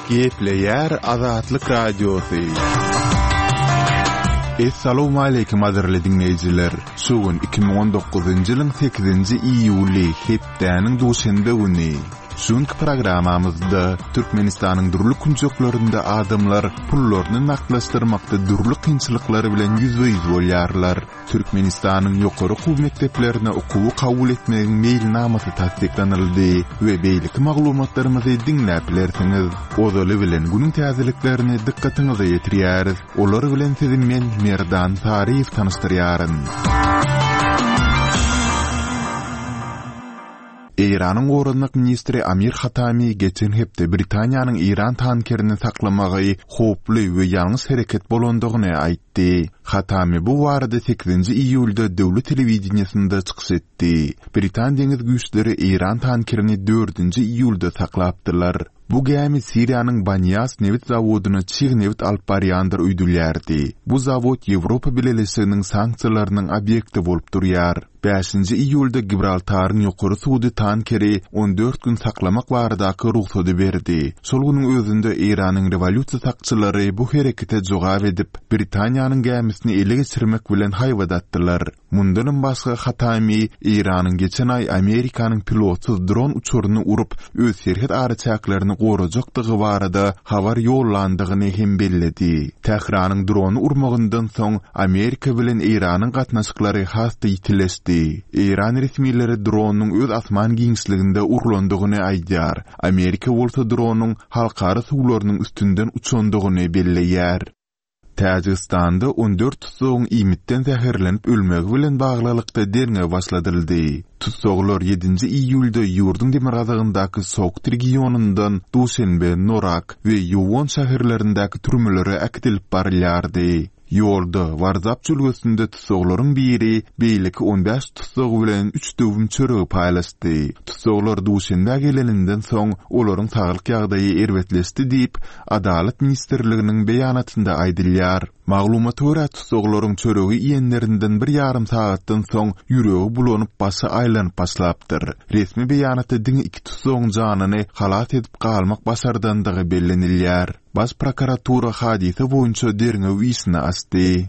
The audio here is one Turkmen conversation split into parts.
Gepleýär Azatlyk Radiosy. Essalawmaleýkim gadyrly diňleýjiler! Şu gün 2019-njy ýylyň sekizinji iýuly, hepdäniň duşenbe güni. Şu günki programmamyzda Türkmenistanyň dürli künjeklerinde adamlar pullaryny nagtlaşdyrmakda dürli kynçylyklar bilen ýüzbe-ýüz bolýarlar. Türkmenistanyň ýokary okuw mekdeplerine okuwy kabul etmegiň meýilnamasy tassyklanyldy we beýleki maglumatlarymyzy diňläp bilersiňiz. Ozaly bilen günüň täzeliklerini dykgatyňyza ýetirýäris. Olar bilen sizi men Merdan Saryýew tanyşdyrýaryn. Eýranyň goranmak ministri Amir Hatami geçen hepde Britaniýanyň eýran tankerini saklamagy howply we ýalňyş hereket bolandygyny aýtdy. Hatami bu barada sekizinji iýulda döwlet telewideniýesinde çykyş etdi. Britan deňiz güýçleri eýran tankerini dördünji iýulda saklapdylar. Bu gämi Siriýanyň Banýas nebit zawodyna çig nebit alyp barýandyr öýdülýärdi. Bu zawod Ýewropa Bileleşiginiň sanksiýalarynyň obýekti bolup durýar. Bäşinji iýulda Gibraltaryň ýokary sudy tankeri 14 gün saklamak baradaky rugsady berdi. Şol günüň özünde Eýranyň rewolýusiýa sakçylary bu herekete jogap edip, Britaniýanyň gämisini ele geçirmek bilen haýbat atdylar. Mundanam başga Hatami Eýranyň geçen aý Amerikanyň pilotsyz dron uçaryny urup, öz serhet araçäklerini gorajakdygy barada habar ýollandygyny hem belledi. Tähranyň drony urmagyndan soň Amerika bilen Eýranyň gatnaşyklary has-da ýitileşdi. Eýran resmileri dronyň öz asman giňişliginde urlandygyny aýdýar, Amerika bolsa dronyň halkara suwlarynyň üstünden uçandygyny belleýär. Täjigistanda 14 tussagyň iýmitden zäherlenip ölmegi bilen baglylykda derňew başladyldy. Tussaglar ýedinji iýulda ýurduň demirgazygyndaky Sogd regionyndan Duşenbe, Norak we Ýuwon şäherlerindäki türmelere äkidilip barylýardy. Ýolda, Warzap jülgesinde tussaglaryň biri beýleki 15 tussag bilen üç döwüm çöregi paýlaşdy. Tussaglar Duşenbä geleninden soň, olaryň saglyk ýagdaýy erbetleşdi diýip, Adalat ministrliginiň beýanatynda aýdylýar. Maglumata görä, tussaglaryň çöregi iýenlerinden bir ýarym sagatdan soň ýüregi bulanyp, başy aýlanyp başlapdyr. Resmi beýanatda diňe iki tussagyň janyny halas edip galmak başardandygy bellenilýär. Baş prokuratura hadysa boýunça derňew işini açdy.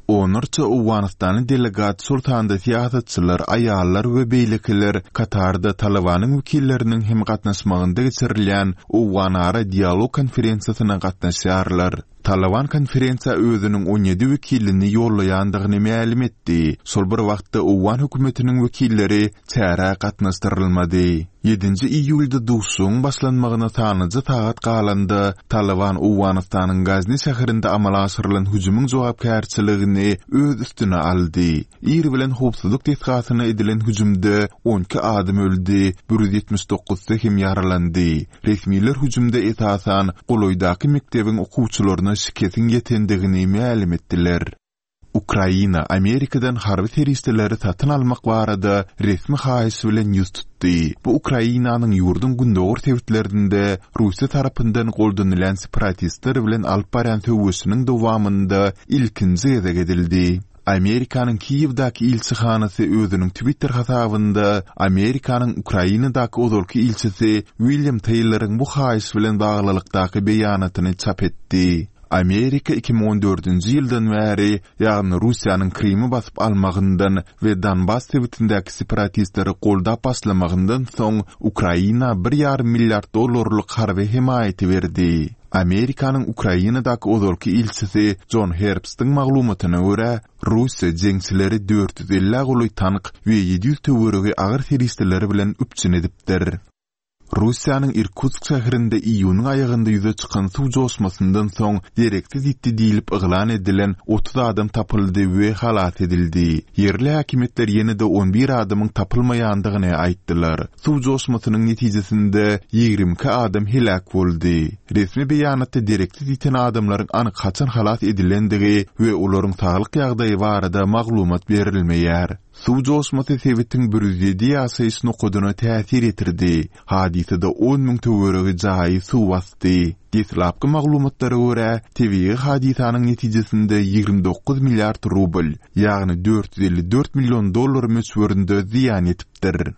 Onlarça owganystanly delegat, şol sanda syýasatçylar, aýallar we beýlekiler Katarda Talybanyň wekilleriniň hem gatnaşmagynda geçirilýän Owganara dialog konferensiýasyna gatnaşýarlar. Talyban konferensiýa özüniň 17 wekilini ýollaýandygyny mälim etdi. Şol bir wagtda owgan hökümetiniň wekilleri çärä gatnaşdyrylmady. Ýedinji iýulda duşuşygyň başlanmagyna sanlyja sagat galanda, Talyban Owganystanyň Gazni şäherinde amala aşyrylan hüjümiň jogapkärçiligini öz üstüne aldy. Ir bilen howpsuzlyk desgasyna edilen hüjümde 12 adam öldi, 179-sy hem ýaralandy. Resmiler hüjümde esasan golaýdaky mekdebiň okuwçylaryna şikesiň ýetendigini mälim etdiler. Ukraina Amerikadan harby serişdeleri satyn almak barada resmi haýyş bilen ýüz tutdy. Bu Ukrainanyň ýurduň gündogar sebitlerinde Russiýa tarapyndan goldanylýan separatistler bilen alyp barýan söweşiniň dowamynda ilkinji gezek edildi. Amerikanyň Kiýewdäki ilçihanasy özüniň Twitter hasabynda Amerikanyň Ukrainadaky ozalky ilçisi William Teýloryň bu haýyş bilen baglylykdaky beýanatyny çap etdi. Amerika 2014-nji ýyldan bäri, ýagny Russiýanyň Krymy basyp almagyndan we Donbas sebitindäki separatistleri goldap başlamagyndan soň Ukraina bir ýarym milliard dollarlyk harby hemaýaty berdi. Amerikanyň Ukrainadaky ozalky ilçisi Jon Herbstiň maglumatyna görä, Russiýa jeňçileri 450-ä golaý tank we 700 töweregi agyr serişdeler bilen üpjün edipdir. Russiýanyň Irkutsk şäherinde iýunyň aýagynda ýüze çykan suw joşmasyndan soň dereksiz ýitdi diýlip yglan edilen 30 adam tapyldy we halas edildi. Ýerli häkimiýetler ýene-de 11 adamyň tapylmaýandygyny aýtdylar. Suw joşmasynyň netijesinde 22 adam heläk boldy. Resmi beýanatda dereksiz ýiten adamlaryň anyk haçan halas edilendigi we olaryň saglyk ýagdaýy barada maglumat berilmeýär. Suw joşmasy sebitiň 107 ýaşaýyş nokadyna täsir ýetirdi. Hadysada 10 müň töweregi jaýy suw basdy. Deslapky maglumatlara görä, tebigy hadysanyň netijesinde 29 milliard rubl, ýagny 454 million dollar möçberinde zyýan ýetipdir.